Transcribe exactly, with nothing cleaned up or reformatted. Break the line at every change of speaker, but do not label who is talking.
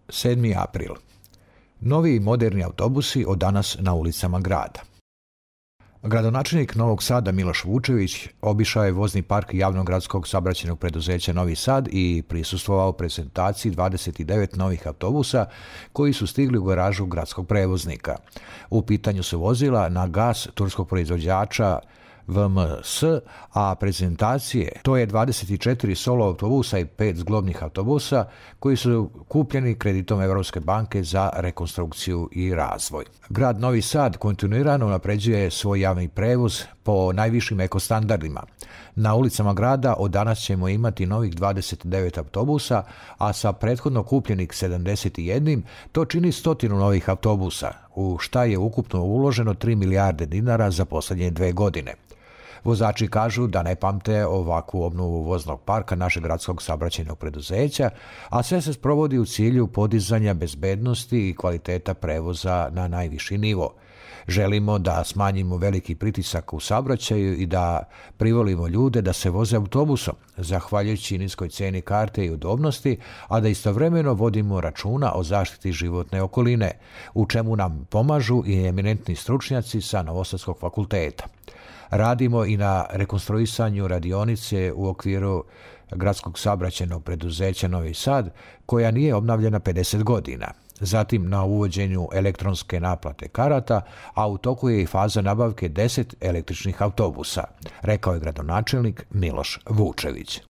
sedmi april. Novi i moderni autobusi od danas na ulicama grada. Gradonačelnik Novog Sada Miloš Vučević obišao je vozni park javnog gradskog saobraćajnog preduzeća Novi Sad i prisustvovao prezentaciji dvadeset devet novih autobusa koji su stigli u garažu gradskog prevoznika. U pitanju su vozila na gas turskog proizvođača V M S, a prezentacije to je dvadeset četiri solo autobusa i pet zglobnih autobusa koji su kupljeni kreditom Evropske banke za rekonstrukciju i razvoj. Grad Novi Sad kontinuirano unapređuje svoj javni prevoz po najvišim ekostandardima. Na ulicama grada od danas ćemo imati novih dvadeset devet autobusa, a sa prethodno kupljenih sedamdeset jedan to čini stotinu novih autobusa, u šta je ukupno uloženo tri milijarde dinara za poslednje dve godine. Vozači kažu da ne pamte ovakvu obnovu voznog parka našeg gradskog saobraćajnog preduzeća, a sve se sprovodi u cilju podizanja bezbednosti i kvaliteta prevoza na najviši nivo. Želimo da smanjimo veliki pritisak u saobraćaju i da privolimo ljude da se voze autobusom, zahvaljujući niskoj ceni karte i udobnosti, a da istovremeno vodimo računa o zaštiti životne okoline, u čemu nam pomažu i eminentni stručnjaci sa Novosadskog fakulteta. Radimo i na rekonstruisanju radionice u okviru gradskog saobraćajnog preduzeća Novi Sad, koja nije obnavljena pedeset godina. Zatim na uvođenju elektronske naplate karata, a u toku je i faza nabavke deset električnih autobusa, rekao je gradonačelnik Miloš Vučević.